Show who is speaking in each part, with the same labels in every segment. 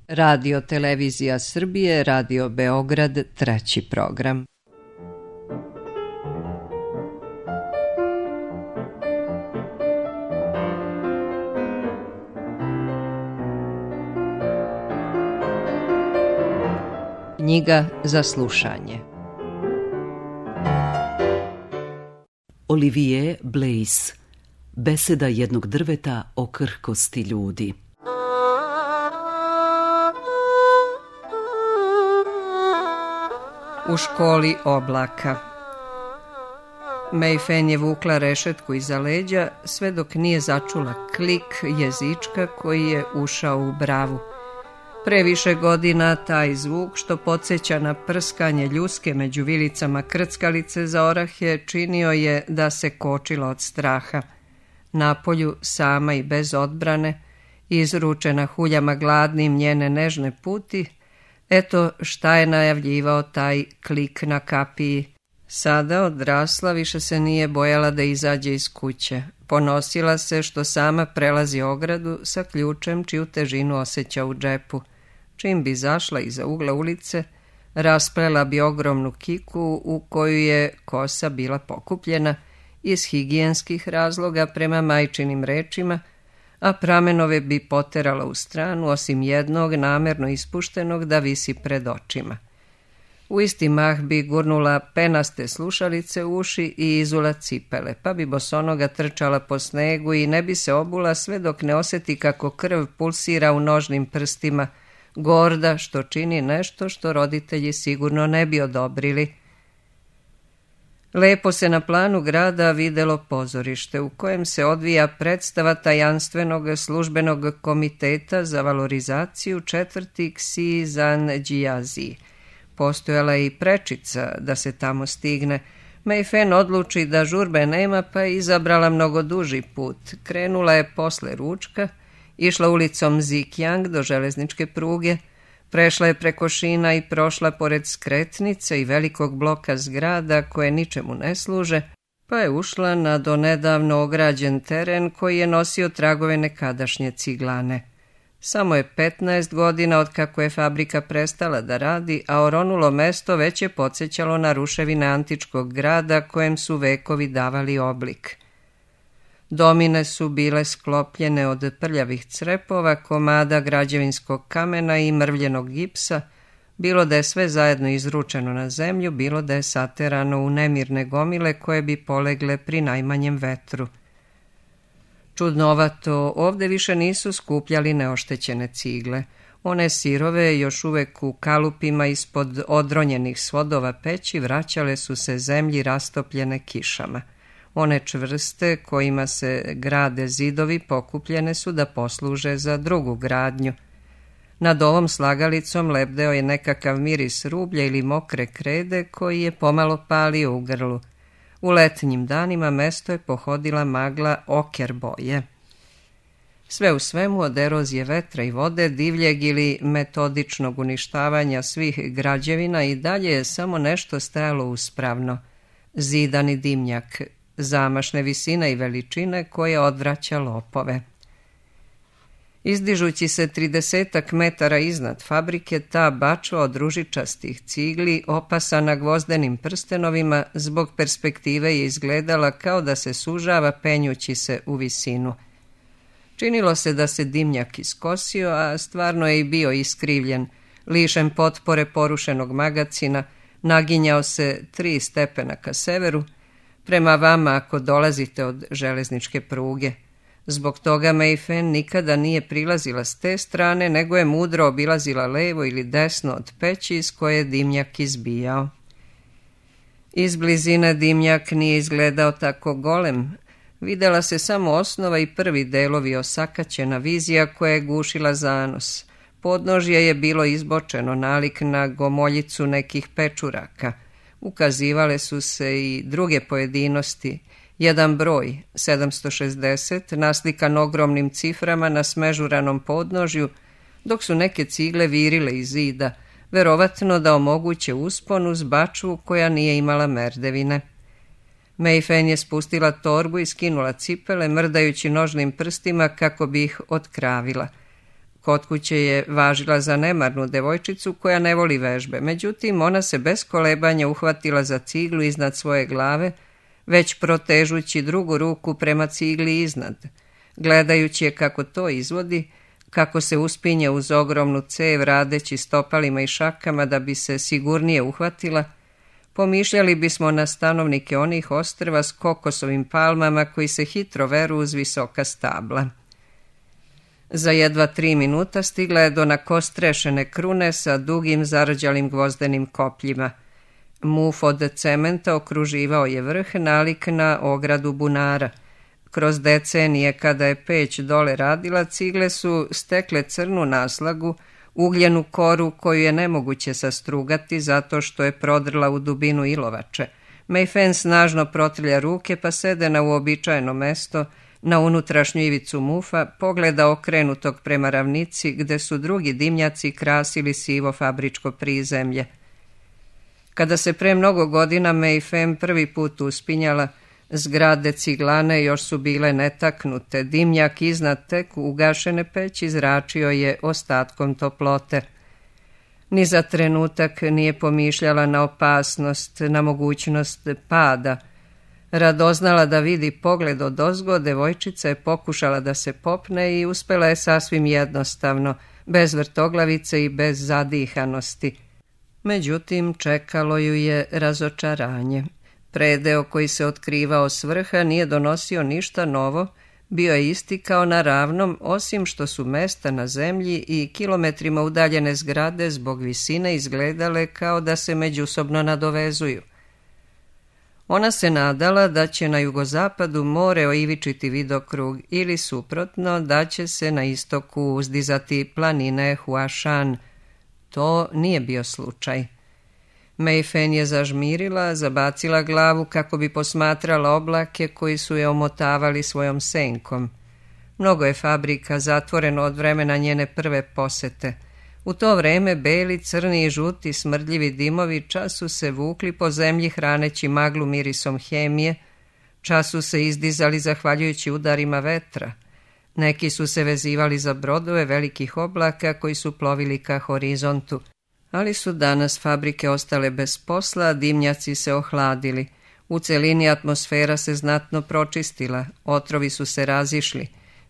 Speaker 1: Radio Televizija Srbije, Radio Beograd, treći program. Knjiga za slušanje.
Speaker 2: Olivier Blaise, Beseda jednog drveta o krhkosti ljudi.
Speaker 1: U školi oblaka. Mayfen je vukla rešetku iza leđa sve dok nije začula klik jezička koji je ušao u bravu. Pre više godina taj zvuk, što podsjeća na prskanje ljuske među vilicama krckalice za orahe, činio je da se kočila od straha. Napolju, sama i bez odbrane, izručena huljama gladnim njene nežne puti, eto šta je najavljivao taj klik na kapiji. Sada odrasla, više se nije bojala da izađe iz kuće. Ponosila se što sama prelazi ogradu sa ključem čiju težinu osjeća u džepu. Čim bi zašla iza ugla ulice, rasplela bi ogromnu kiku u koju je kosa bila pokupljena iz higijenskih razloga prema majčinim rečima, a pramenove bi poterala u stranu, osim jednog namerno ispuštenog da visi pred očima. U isti mah bi gurnula penaste slušalice u uši i izula cipele, pa bi bosonoga trčala po snegu i ne bi se obula sve dok ne osjeti kako krv pulsira u nožnim prstima, gorda što čini nešto što roditelji sigurno ne bi odobrili. Lepo se na planu grada videlo pozorište u kojem se odvija predstava tajanstvenog službenog komiteta za valorizaciju četvrti Ksizanđijazi. Postojala je i prečica da se tamo stigne. Mayfen odluči da žurbe nema, pa je izabrala mnogo duži put. Krenula je posle ručka, išla ulicom Zikjang do železničke pruge, prešla je preko šina i prošla pored skretnice i velikog bloka zgrada koje ničemu ne služe, pa je ušla na donedavno ograđen teren koji je nosio tragove nekadašnje ciglane. Samo je 15 godina od kako je fabrika prestala da radi, a oronulo mesto već je podsjećalo na ruševine antičkog grada kojem su vekovi davali oblik. Domine su bile sklopljene od prljavih crepova, komada građevinskog kamena i mrvljenog gipsa, bilo da je sve zajedno izručeno na zemlju, bilo da je saterano u nemirne gomile koje bi polegle pri najmanjem vetru. Čudnovato, ovde više nisu skupljali neoštećene cigle. One sirove, još uvek u kalupima ispod odronjenih svodova peći, vraćale su se zemlji rastopljene kišama. One čvrste, kojima se grade zidovi, pokupljene su da posluže za drugu gradnju. Nad ovom slagalicom lebdeo je nekakav miris rublja ili mokre krede koji je pomalo palio u grlu. U letnjim danima mesto je pohodila magla oker boje. Sve u svemu, od erozije vetra i vode, divljeg ili metodičnog uništavanja svih građevina, i dalje je samo nešto stajalo uspravno. Zidani dimnjak, zamašne visine i veličine koje odvraća lopove. Izdižući se 30 metara iznad fabrike, ta bačva od ružičastih cigli, opasana gvozdenim prstenovima, zbog perspektive je izgledala kao da se sužava penjući se u visinu. Činilo se da se dimnjak iskosio, a stvarno je i bio iskrivljen, lišen potpore porušenog magacina, naginjao se 3 stepena ka severu, prema vama ako dolazite od železničke pruge. Zbog toga Mayfen nikada nije prilazila s te strane, nego je mudro obilazila levo ili desno od peći iz koje je dimnjak izbijao. Iz blizine dimnjak nije izgledao tako golem. Videla se samo osnova i prvi delovi osakaćena vizija koja je gušila zanos. Podnožje je bilo izbočeno, nalik na gomoljicu nekih pečuraka. Ukazivale su se i druge pojedinosti. Jedan broj, 760, naslikan ogromnim ciframa na smežuranom podnožju, dok su neke cigle virile iz zida, verovatno da omoguće uspon uz bačvu koja nije imala merdevine. Mayfen je spustila torbu i skinula cipele, mrdajući nožnim prstima kako bi ih otkravila. Kod kuće je važila za nemarnu devojčicu koja ne voli vežbe, međutim ona se bez kolebanja uhvatila za ciglu iznad svoje glave, već protežući drugu ruku prema cigli iznad. Gledajući je kako to izvodi, kako se uspinje uz ogromnu cev radeći stopalima i šakama da bi se sigurnije uhvatila, pomišljali bismo na stanovnike onih ostrva s kokosovim palmama koji se hitro veru uz visoka stabla. Za jedva 3 minuta stigla je do nakostrešene krune sa dugim zarđalim gvozdenim kopljima. Muf od cementa okruživao je vrh nalik na ogradu bunara. Kroz decenije kada je peć dole radila, cigle su stekle crnu naslagu, ugljenu koru koju je nemoguće sastrugati zato što je prodrla u dubinu ilovače. Mayfen snažno protrlja ruke pa sede na uobičajeno mesto, na unutrašnju ivicu mufa, pogleda okrenutog prema ravnici gde su drugi dimnjaci krasili sivo fabričko prizemlje. Kada se pre mnogo godina Mayfen prvi put uspinjala, zgrade ciglane još su bile netaknute, dimnjak iznad tek ugašene peći zračio je ostatkom toplote. Ni za trenutak nije pomišljala na opasnost, na mogućnost pada. Radoznala da vidi pogled odozgo, devojčica je pokušala da se popne i uspela je sasvim jednostavno, bez vrtoglavice i bez zadihanosti. Međutim, čekalo ju je razočaranje. Predeo koji se otkrivao s vrha nije donosio ništa novo, bio je isti kao na ravnom, osim što su mesta na zemlji i kilometrima udaljene zgrade zbog visine izgledale kao da se međusobno nadovezuju. Ona se nadala da će na jugozapadu more oivičiti vidokrug ili suprotno da će se na istoku uzdizati planine Huashan. To nije bio slučaj. Mayfen je zažmirila, zabacila glavu kako bi posmatrala oblake koji su je omotavali svojom senkom. Mnogo je fabrika zatvoreno od vremena njene prve posete. U to vreme beli, crni i žuti smrdljivi dimovi čas su se vukli po zemlji hraneći maglu mirisom hemije, čas su se izdizali zahvaljujući udarima vetra. Neki su se vezivali za brodove velikih oblaka koji su plovili ka horizontu. Ali su danas fabrike ostale bez posla, dimnjaci se ohladili. U celini atmosfera se znatno pročistila, otrovi su se razišli.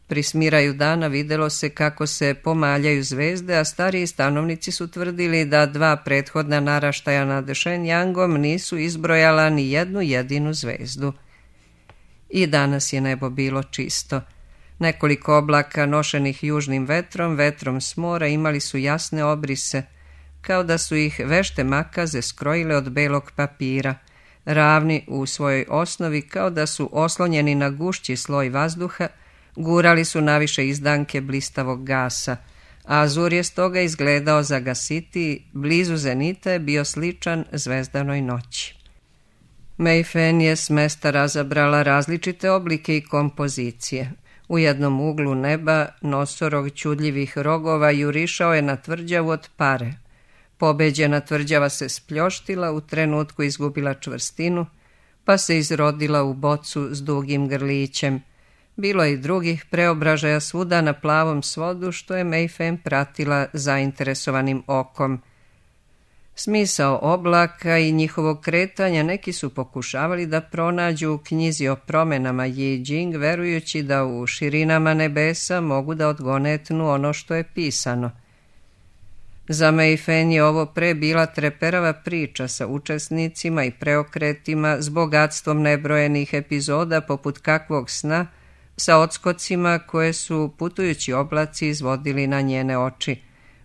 Speaker 1: Pri smiraju dana videlo se kako se pomaljaju zvezde, a stariji stanovnici su tvrdili da 2 prethodna naraštaja nad Shenyangom nisu izbrojala ni jednu jedinu zvezdu. I danas je nebo bilo čisto. Nekoliko oblaka nošenih južnim vetrom, vetrom s mora imali su jasne obrise, kao da su ih vešte makaze skrojile od belog papira, ravni u svojoj osnovi kao da su oslonjeni na gušći sloj vazduha, gurali su naviše izdanke blistavog gasa, a azur je stoga izgledao zagasitiji, blizu zenita je bio sličan zvezdanoj noći. Mayfen je s mesta razabrala različite oblike i kompozicije. U jednom uglu neba nosorog čudljivih rogova jurišao je na tvrđavu od pare. Pobeđena tvrđava se spljoštila, u trenutku izgubila čvrstinu, pa se izrodila u bocu s dugim grlićem. Bilo je i drugih preobražaja svuda na plavom svodu, što je Mayfen pratila zainteresovanim okom. Smisao oblaka i njihovog kretanja neki su pokušavali da pronađu u knjizi o promenama Yi Jing, verujući da u širinama nebesa mogu da odgonetnu ono što je pisano. Za Mayfen je ovo pre bila treperava priča sa učesnicima i preokretima, s bogatstvom nebrojenih epizoda poput kakvog sna, sa odskocima koje su putujući oblaci izvodili na njene oči.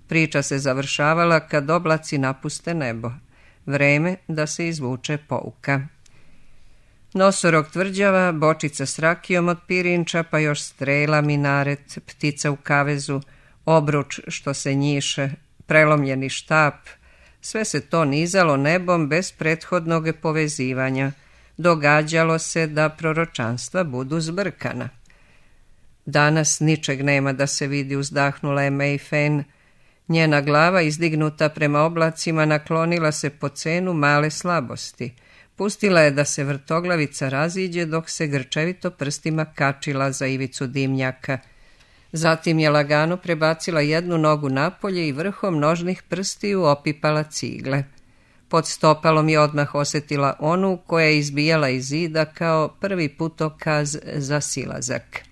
Speaker 1: Priča se završavala kad oblaci napuste nebo. Vreme da se izvuče pouka. Nosorog tvrđava, bočica s rakijom od pirinča, pa još strela, minaret, ptica u kavezu, obruč što se njiše, prelomljeni štap, sve se to nizalo nebom bez prethodnog povezivanja. Događalo se da proročanstva budu zbrkana. Danas ničeg nema da se vidi, uzdahnula je Mayfen. Njena glava, izdignuta prema oblacima, naklonila se po cenu male slabosti. Pustila je da se vrtoglavica raziđe dok se grčevito prstima kačila za ivicu dimnjaka. Zatim je lagano prebacila jednu nogu napolje i vrhom nožnih prstiju opipala cigle. Pod stopalom je odmah osjetila onu koja je izbijala iz zida kao prvi putokaz za silazak.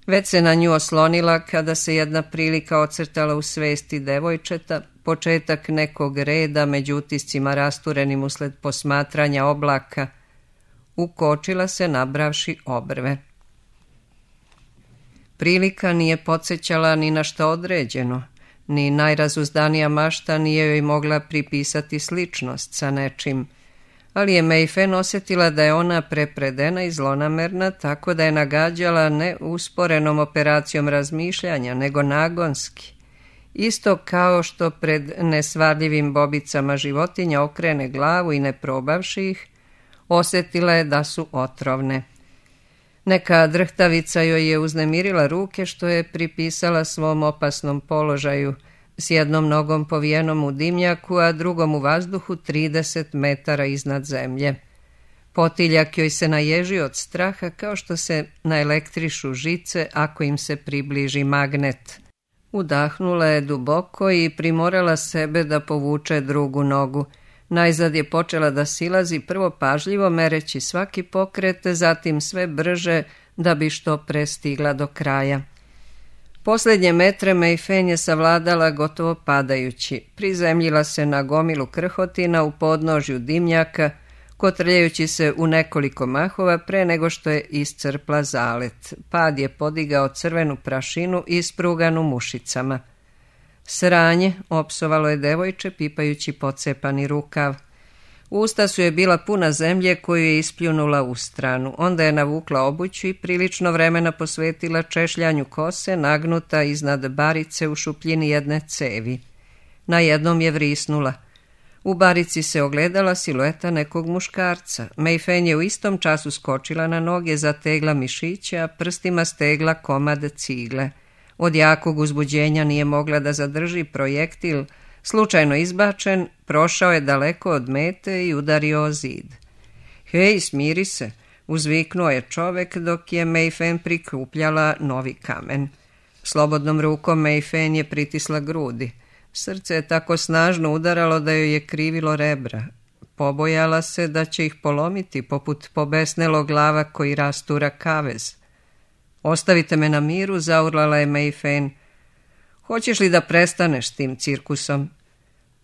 Speaker 1: Već se na nju oslonila kada se jedna prilika ocrtala u svesti devojčeta, početak nekog reda među utiscima rasturenim usled posmatranja oblaka. Ukočila se nabravši obrve. Prilika nije podsjećala ni na šta određeno, ni najrazuzdanija mašta nije joj mogla pripisati sličnost sa nečim, ali je Mayfen osjetila da je ona prepredena i zlonamerna, tako da je nagađala ne usporenom operacijom razmišljanja, nego nagonski. Isto kao što pred nesvarljivim bobicama životinja okrene glavu i ne probavši ih, osjetila je da su otrovne. Neka drhtavica joj je uznemirila ruke što je pripisala svom opasnom položaju, s jednom nogom povijenom u dimnjaku, a drugom u vazduhu 30 metara iznad zemlje. Potiljak joj se naježio od straha kao što se naelektrišu žice ako im se približi magnet. Udahnula je duboko i primorala sebe da povuče drugu nogu. Najzad je počela da silazi, prvo pažljivo mereći svaki pokret, zatim sve brže da bi što pre stigla do kraja. Posljednje metre Mayfen je savladala gotovo padajući. Prizemljila se na gomilu krhotina u podnožju dimnjaka, kotrljajući se u nekoliko mahova pre nego što je iscrpla zalet. Pad je podigao crvenu prašinu ispruganu mušicama. Sranje, opsovalo je devojče pipajući pocepani rukav. Usta su je bila puna zemlje koju je ispljunula u stranu. Onda je navukla obuću i prilično vremena posvetila češljanju kose nagnuta iznad barice u šupljini jedne cevi. Na jednom je vrisnula. U barici se ogledala silueta nekog muškarca. Mayfen je u istom času skočila na noge, zategla mišiće, a prstima stegla komad cigle. Od jakog uzbuđenja nije mogla da zadrži projektil, slučajno izbačen, prošao je daleko od mete i udario o zid. Hej, smiri se, uzviknuo je čovek dok je Mayfen prikupljala novi kamen. Slobodnom rukom Mayfen je pritisla grudi. Srce je tako snažno udaralo da joj je krivilo rebra. Pobojala se da će ih polomiti poput pobesnelog glava koji rastura kavez. Ostavite me na miru, zaurlala je Mayfen. Hoćeš li da prestaneš s tim cirkusom?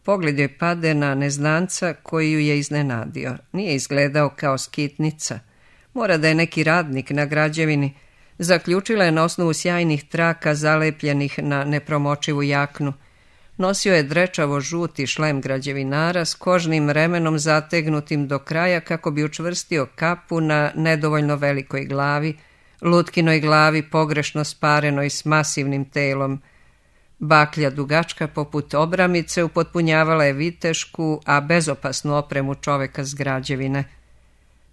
Speaker 1: Pogled joj pade na neznanca koji ju je iznenadio. Nije izgledao kao skitnica. Mora da je neki radnik na građevini. Zaključila je na osnovu sjajnih traka zalepljenih na nepromočivu jaknu. Nosio je drečavo žuti šlem građevinara s kožnim remenom zategnutim do kraja kako bi učvrstio kapu na nedovoljno velikoj glavi, lutkinoj glavi pogrešno sparenoj s masivnim telom. Baklja dugačka poput obramice upotpunjavala je vitešku, a bezopasnu opremu čoveka s građevine.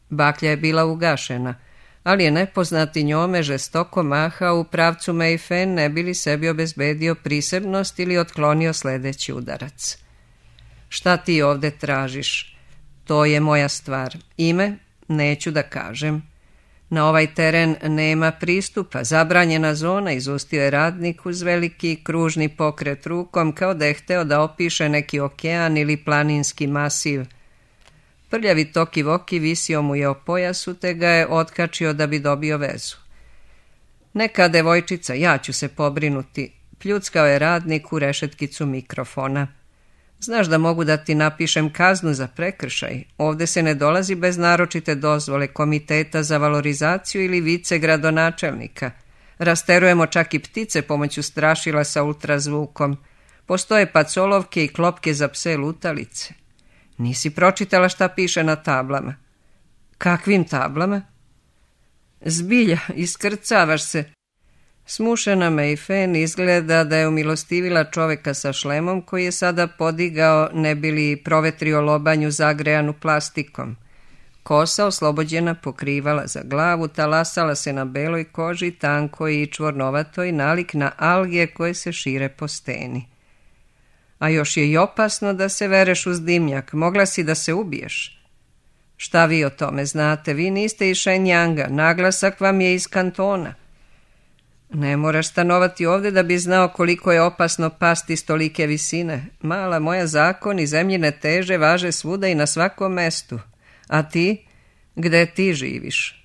Speaker 1: Baklja je bila ugašena, ali je nepoznati njome žestoko mahao u pravcu Mayfen ne bi li sebi obezbedio prisebnost ili otklonio sljedeći udarac. Šta ti ovde tražiš? To je moja stvar. Ime? Neću da kažem. Na ovaj teren nema pristupa, zabranjena zona, izustio je radnik uz veliki kružni pokret rukom kao da je hteo da opiše neki okean ili planinski masiv. Prljavi toki voki visio mu je o pojasu te ga je otkačio da bi dobio vezu. Neka devojčica, ja ću se pobrinuti, pljuckao je radnik u rešetkicu mikrofona. Znaš da mogu da ti napišem kaznu za prekršaj. Ovde se ne dolazi bez naročite dozvole komiteta za valorizaciju ili vice gradonačelnika. Rasterujemo čak i ptice pomoću strašila sa ultrazvukom. Postoje pacolovke i klopke za pse lutalice. Nisi pročitala šta piše na tablama? Kakvim tablama? Zbilja, iskrcavaš se. Smušena Mayfen izgleda da je umilostivila čoveka sa šlemom koji je sada podigao ne bi li provetrio lobanju zagrejanu plastikom. Kosa oslobođena pokrivala za glavu, talasala se na beloj koži, tankoj i čvornovatoj, nalik na alge koje se šire po steni. A još je i opasno da se vereš uz dimnjak, mogla si da se ubiješ. Šta vi o tome znate? Vi niste iz Shenyanga, naglasak vam je iz kantona. Ne moraš stanovati ovde da bi znao koliko je opasno pasti s tolike visine. Mala moja, zakon i zemljine teže važe svuda i na svakom mestu. A ti? Gde ti živiš?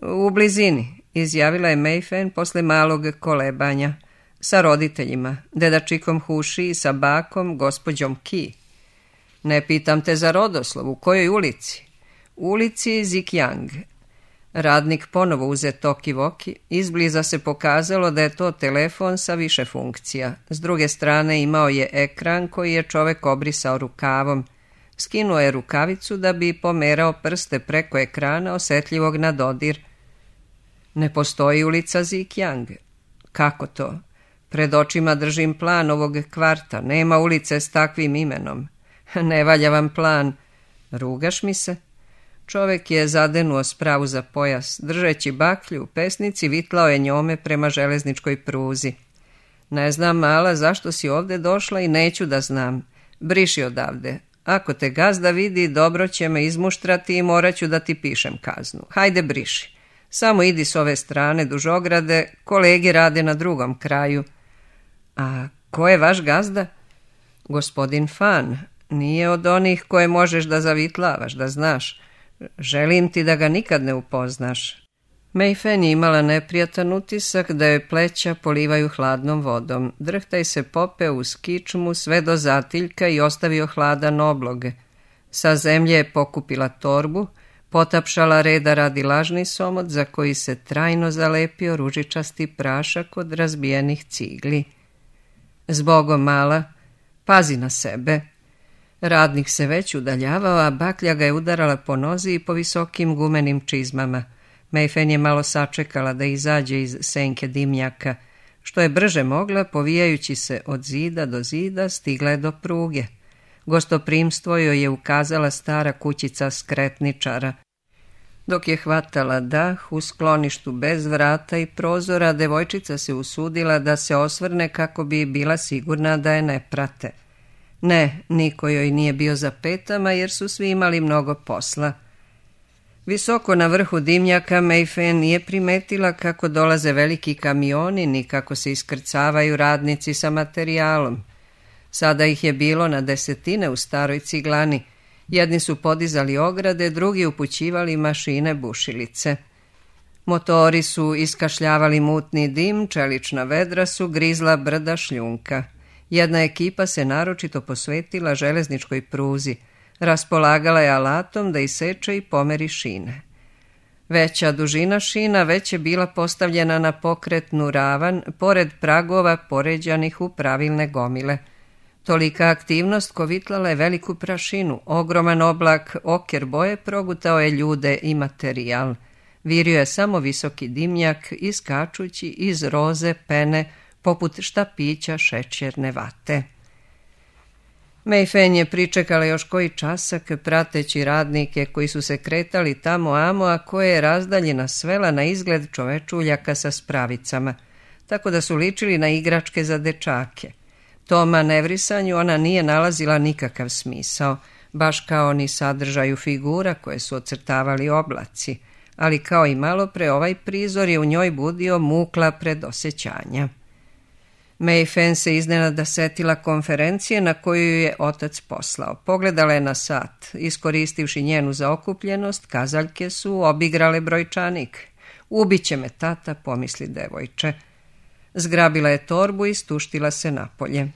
Speaker 1: U blizini, izjavila je Mayfen posle malog kolebanja. Sa roditeljima, dedačikom Huši i sa bakom, gospođom Ki. Ne pitam te za rodoslov, u kojoj ulici? U ulici Zikjang. Radnik ponovo uze toki-voki, izbliza se pokazalo da je to telefon sa više funkcija. S druge strane imao je ekran koji je čovek obrisao rukavom. Skinuo je rukavicu da bi pomerao prste preko ekrana osetljivog na dodir. Ne postoji ulica Zikjang. Kako to? Pred očima držim plan ovog kvarta. Nema ulice s takvim imenom. Ne valja vam plan. Rugaš mi se? Čovek je zadenuo spravu za pojas. Držeći baklju u pesnici, vitlao je njome prema železničkoj pruzi. Ne znam, mala, zašto si ovde došla i neću da znam. Briši odavde. Ako te gazda vidi, dobro će me izmuštrati i morat ću da ti pišem kaznu. Hajde, briši. Samo idi s ove strane duž ograde, kolege rade na drugom kraju. A ko je vaš gazda? Gospodin Fan. Nije od onih koje možeš da zavitlavaš, da znaš. Želim ti da ga nikad ne upoznaš. Mayfen je imala neprijatan utisak da joj pleća polivaju hladnom vodom. Drhtaj se popeo uz kičmu sve do zatiljka i ostavio hladan oblog. Sa zemlje je pokupila torbu, potapšala reda radi lažni somot za koji se trajno zalepio ružičasti prašak od razbijenih cigli. Zbogom, mala, pazi na sebe. Radnik se već udaljavao, a baklja ga je udarala po nozi i po visokim gumenim čizmama. Mayfen je malo sačekala da izađe iz senke dimnjaka. Što je brže mogla, povijajući se od zida do zida, stigla je do pruge. Gostoprimstvo joj je ukazala stara kućica skretničara. Dok je hvatala dah u skloništu bez vrata i prozora, devojčica se usudila da se osvrne kako bi bila sigurna da je ne prate. Ne, niko joj nije bio za petama jer su svi imali mnogo posla. Visoko na vrhu dimnjaka Mayfen nije primetila kako dolaze veliki kamioni ni kako se iskrcavaju radnici sa materijalom. Sada ih je bilo na desetine u staroj ciglani. Jedni su podizali ograde, drugi upućivali mašine bušilice. Motori su iskašljavali mutni dim, čelična vedra su grizla brda šljunka. Jedna ekipa se naročito posvetila železničkoj pruzi. Raspolagala je alatom da iseče i pomeri šine. Veća dužina šina već je bila postavljena na pokretnu ravan, pored pragova poređanih u pravilne gomile. Tolika aktivnost kovitlala je veliku prašinu, ogroman oblak oker boje progutao je ljude i materijal. Virio je samo visoki dimnjak, iskačući iz roze pene, poput štapića šećerne vate. Mayfen je pričekala još koji časak, prateći radnike koji su se kretali tamo-amo, a koje je razdaljina svela na izgled čovečuljaka sa spravicama, tako da su ličili na igračke za dečake. Tom manevrisanju ona nije nalazila nikakav smisao, baš kao ni sadržaju figura koje su ocrtavali oblaci, ali kao i malopre ovaj prizor je u njoj budio mukla predosjećanja. Mayfen se iznenada setila konferencije na koju je otac poslao. Pogledala je na sat. Iskoristivši njenu zaokupljenost, kazaljke su obigrale brojčanik. Ubiće me tata, pomisli devojče. Zgrabila je torbu i stuštila se napolje.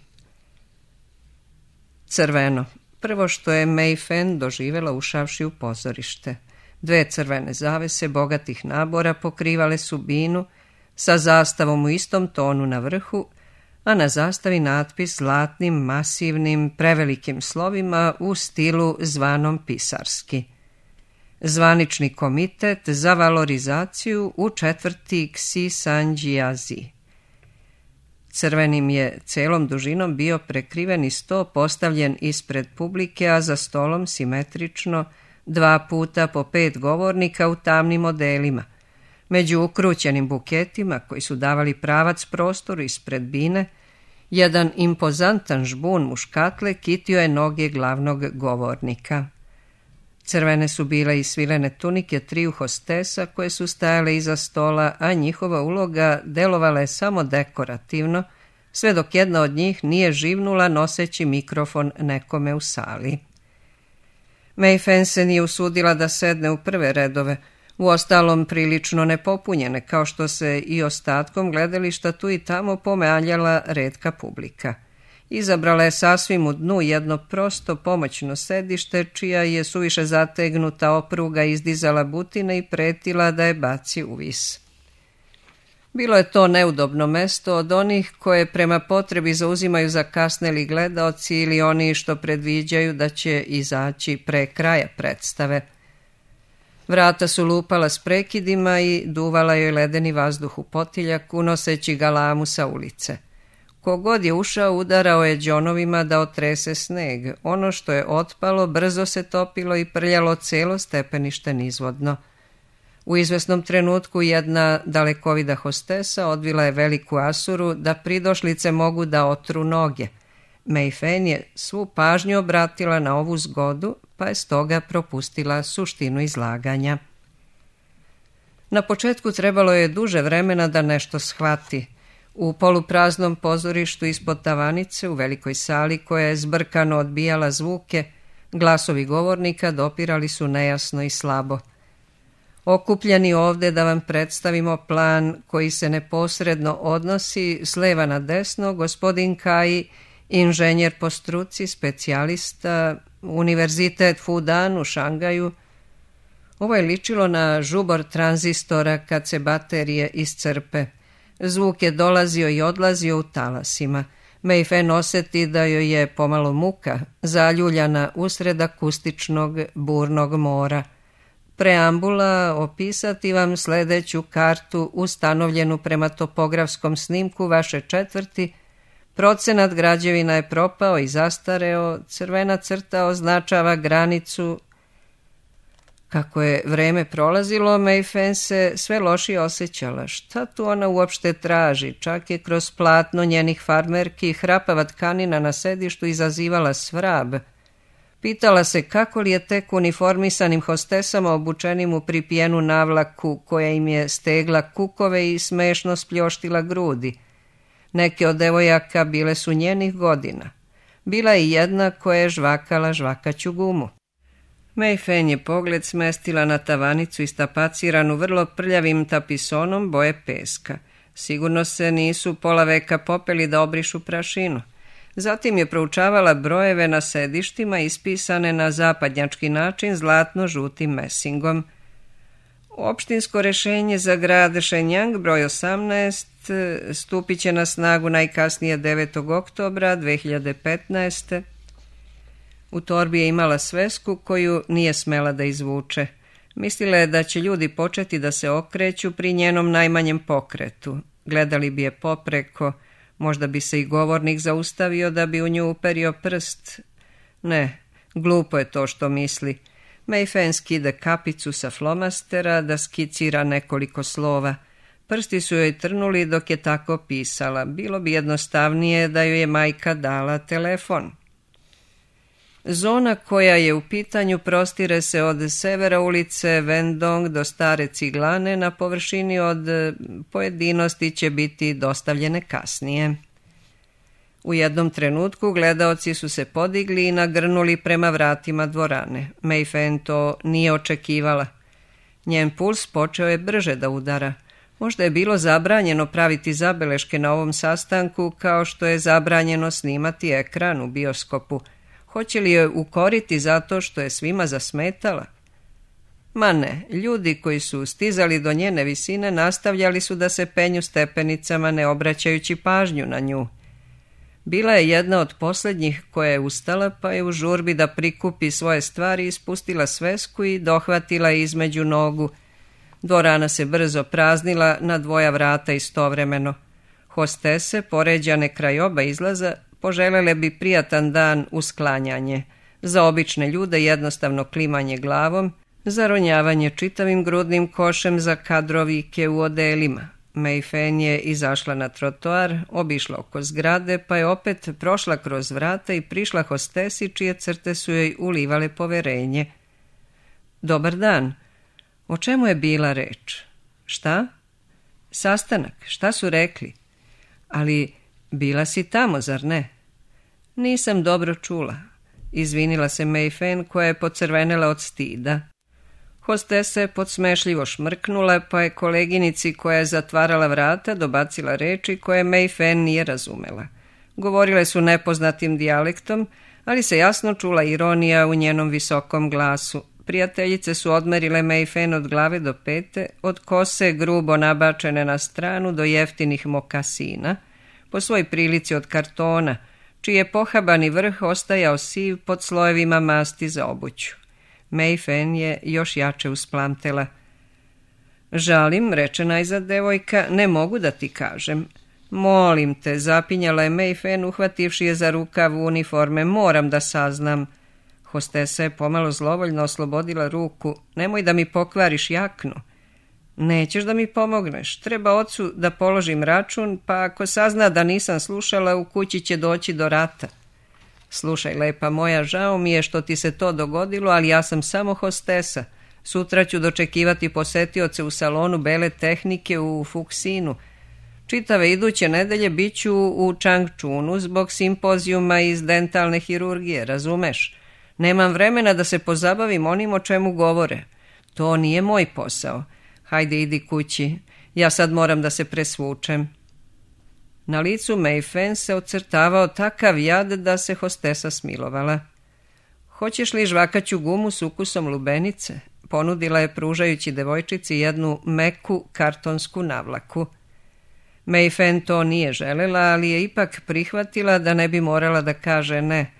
Speaker 1: Crveno. Prvo što je Mayfen doživela ušavši u pozorište. 2 crvene zavese bogatih nabora pokrivale su binu sa zastavom u istom tonu na vrhu, a na zastavi natpis zlatnim, masivnim, prevelikim slovima u stilu zvanom pisarski. Zvanični komitet za valorizaciju u 4. Ksi Sanđijazi. Crvenim je celom dužinom bio prekriveni sto postavljen ispred publike, a za stolom simetrično 2 puta po 5 govornika u tamnim modelima. Među ukrućenim buketima koji su davali pravac prostoru ispred bine, jedan impozantan žbun muškatle kitio je noge glavnog govornika. Crvene su bile i svilene tunike triju hostesa koje su stajale iza stola, a njihova uloga delovala je samo dekorativno, sve dok jedna od njih nije živnula noseći mikrofon nekome u sali. Mayfen se nije usudila da sedne u prve redove, uostalom prilično nepopunjene, kao što se i ostatkom gledališta tu i tamo pomealjala retka publika. Izabrala je sasvim u dnu jedno prosto pomoćno sedište, čija je suviše zategnuta opruga izdizala butine i pretila da je baci u vis. Bilo je to neudobno mesto od onih koje prema potrebi zauzimaju zakasneli gledaoci ili oni što predviđaju da će izaći pre kraja predstave. Vrata su lupala s prekidima i duvala joj ledeni vazduh u potiljak, unoseći galamu sa ulice. Kogod je ušao udarao je đonovima da otrese sneg. Ono što je otpalo brzo se topilo i prljalo celo stepenište nizvodno. U izvesnom trenutku jedna dalekovida hostesa odvila je veliku asuru da pridošlice mogu da otru noge. Mayfen je svu pažnju obratila na ovu zgodu, pa je stoga propustila suštinu izlaganja. Na početku trebalo je duže vremena da nešto shvati. U polupraznom pozorištu ispod tavanice, u velikoj sali koja je zbrkano odbijala zvuke, glasovi govornika dopirali su nejasno i slabo. Okupljeni ovde da vam predstavimo plan koji se neposredno odnosi s leva na desno, gospodin Kai, inženjer po struci, specijalista, Univerzitet Fudan u Šangaju. Ovo je ličilo na žubor tranzistora kad se baterije iscrpe. Zvuk je dolazio i odlazio u talasima. Mayfen osjeti da joj je pomalo muka, zaljuljana usred akustičnog burnog mora. Preambula: opisati vam sledeću kartu ustanovljenu prema topografskom snimku vaše četvrti. Procenat građevina je propao i zastareo, crvena crta označava granicu. Kako je vreme prolazilo, Mayfen se sve lošije osjećala. Šta tu ona uopšte traži? Čak je kroz platno njenih farmerki hrapava tkanina na sedištu izazivala svrab. Pitala se kako li je tek uniformisanim hostesama obučenim u pripijenu navlaku koja im je stegla kukove i smešno spljoštila grudi. Neke od devojaka bile su njenih godina. Bila je jedna koja je žvakala žvakaću gumu. Mayfen je pogled smestila na tavanicu istapaciranu vrlo prljavim tapisonom boje peska. Sigurno se nisu pola veka popeli da obrišu prašinu. Zatim je proučavala brojeve na sedištima ispisane na zapadnjački način zlatno-žutim mesingom. Opštinsko rešenje za grad Shenyang broj 18 stupit će na snagu najkasnije 9. oktobra 2015. U torbi je imala svesku koju nije smela da izvuče. Mislila je da će ljudi početi da se okreću pri njenom najmanjem pokretu. Gledali bi je popreko, možda bi se i govornik zaustavio da bi u nju uperio prst. Ne, glupo je to što misli. Mayfen skida kapicu sa flomastera da skicira nekoliko slova. Prsti su joj trnuli dok je tako pisala. Bilo bi jednostavnije da joj je majka dala telefon. Zona koja je u pitanju prostire se od severa ulice Vendong do Stare Ciglane, na površini od pojedinosti će biti dostavljene kasnije. U jednom trenutku gledaoci su se podigli i nagrnuli prema vratima dvorane. Mayfen to nije očekivala. Njen puls počeo je brže da udara. Možda je bilo zabranjeno praviti zabeleške na ovom sastanku, kao što je zabranjeno snimati ekran u bioskopu. Hoće li joj ukoriti zato što je svima zasmetala? Ma ne, ljudi koji su stizali do njene visine nastavljali su da se penju stepenicama ne obraćajući pažnju na nju. Bila je jedna od posljednjih koja je ustala, pa je u žurbi da prikupi svoje stvari ispustila svesku i dohvatila između nogu. Dvorana se brzo praznila na dvoja vrata istovremeno. Hostese, poređane kraj oba izlaza, poželele bi prijatan dan uz klanjanje. Za obične ljude jednostavno klimanje glavom, zaronjavanje čitavim grudnim košem za kadrovike u odelima. Mayfen je izašla na trotoar, obišla oko zgrade, pa je opet prošla kroz vrata i prišla hostesi čije crte su joj ulivale poverenje. Dobar dan. O čemu je bila reč? Šta? Sastanak. Šta su rekli? Ali bila si tamo, zar ne? Nisam dobro čula. Izvinila se Mei Fen, koja je pocrvenela od stida. Hostesa je podsmešljivo šmrknula, pa je koleginici koja je zatvarala vrata dobacila reči koje Mei Fen nije razumela. Govorile su nepoznatim dijalektom, ali se jasno čula ironija u njenom visokom glasu. Prijateljice su odmerile Mei Fen od glave do pete, od kose grubo nabačene na stranu do jeftinih mokasina, po svoj prilici od kartona, čiji je pohabani vrh ostajao siv pod slojevima masti za obuću. Mei Fen je još jače usplamtela. Žalim, reče najzad devojka, ne mogu da ti kažem. Molim te, zapinjala je Mei Fen, uhvativši je za rukav uniforme, moram da saznam. Hostesa je pomalo zlovoljno oslobodila ruku. Nemoj da mi pokvariš jaknu. Nećeš da mi pomogneš. Treba ocu da položim račun, pa ako sazna da nisam slušala, u kući će doći do rata. Slušaj, lepa moja, žao mi je što ti se to dogodilo, ali ja sam samo hostesa. Sutra ću dočekivati posetioce u salonu bele tehnike u Fuksinu. Čitave iduće nedelje bit ću u Changchunu zbog simpozijuma iz dentalne hirurgije, razumeš? Nemam vremena da se pozabavim onim o čemu govore. To nije moj posao. Hajde, idi kući. Ja sad moram da se presvučem. Na licu Mei Fen se ocrtavao takav jad da se hostesa smilovala. Hoćeš li žvakaću gumu s ukusom lubenice? Ponudila je pružajući devojčici jednu meku kartonsku navlaku. Mei Fen to nije želela, ali je ipak prihvatila da ne bi morala da kaže ne.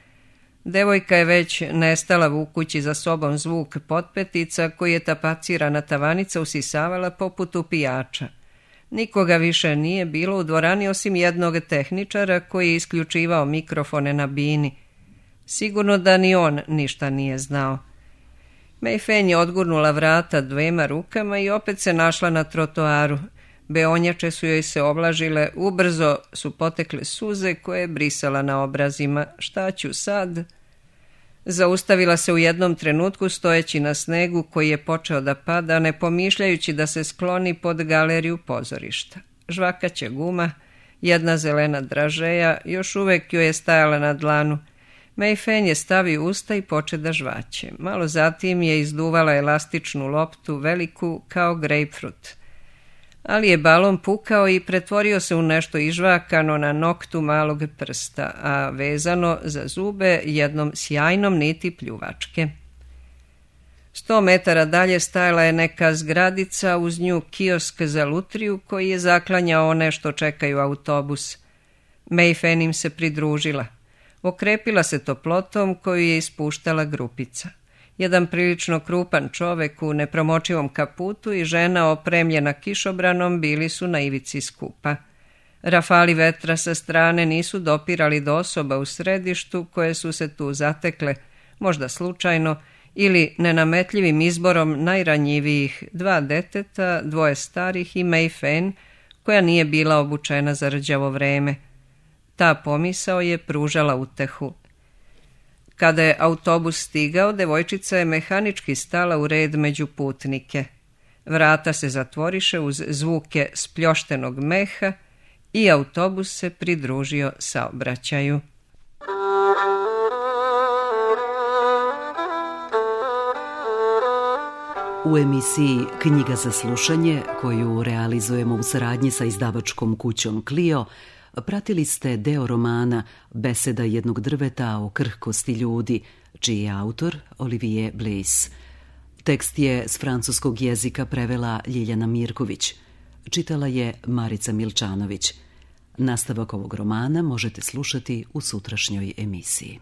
Speaker 1: Devojka je već nestala vukući za sobom zvuk potpetica koji je tapacirana tavanica usisavala poput upijača. Nikoga više nije bilo u dvorani osim jednog tehničara koji je isključivao mikrofone na bini. Sigurno da ni on ništa nije znao. Mei Fen je odgurnula vrata dvema rukama i opet se našla na trotoaru. Beonjače su joj se oblažile, ubrzo su potekle suze koje je brisala na obrazima. Šta ću sad? Zaustavila se u jednom trenutku stojeći na snegu koji je počeo da pada, ne pomišljajući da se skloni pod galeriju pozorišta. Žvakaće guma, jedna zelena dražeja, još uvek joj je stajala na dlanu. Mei Fen je stavio usta i poče da žvaće. Malo zatim je izduvala elastičnu loptu, veliku kao grejpfrut. Ali je balon pukao i pretvorio se u nešto ižvakano na noktu malog prsta, a vezano za zube jednom sjajnom niti pljuvačke. 100 metara dalje stajala je neka zgradica, uz nju kiosk za lutriju koji je zaklanjao one što čekaju autobus. Mei Fen im se pridružila. Okrepila se toplotom koju je ispuštala grupica. Jedan prilično krupan čovek u nepromočivom kaputu i žena opremljena kišobranom bili su na ivici skupa. Rafali vetra sa strane nisu dopirali do osoba u središtu koje su se tu zatekle, možda slučajno, ili nenametljivim izborom najranjivijih, 2 deteta, 2 starih i Mei Fen, koja nije bila obučena za rđavo vreme. Ta pomisao je pružala utehu. Kada je autobus stigao, devojčica je mehanički stala u red među putnike. Vrata se zatvoriše uz zvuke spljoštenog meha i autobus se pridružio saobraćaju.
Speaker 2: U emisiji Knjiga za slušanje, koju realizujemo u saradnji sa izdavačkom kućom Clio, pratili ste deo romana Beseda jednog drveta o krhkosti ljudi, čiji je autor Olivier Bliss. Tekst je s francuskog jezika prevela Ljiljana Mirković. Čitala je Marica Milčanović. Nastavak ovog romana možete slušati u sutrašnjoj emisiji.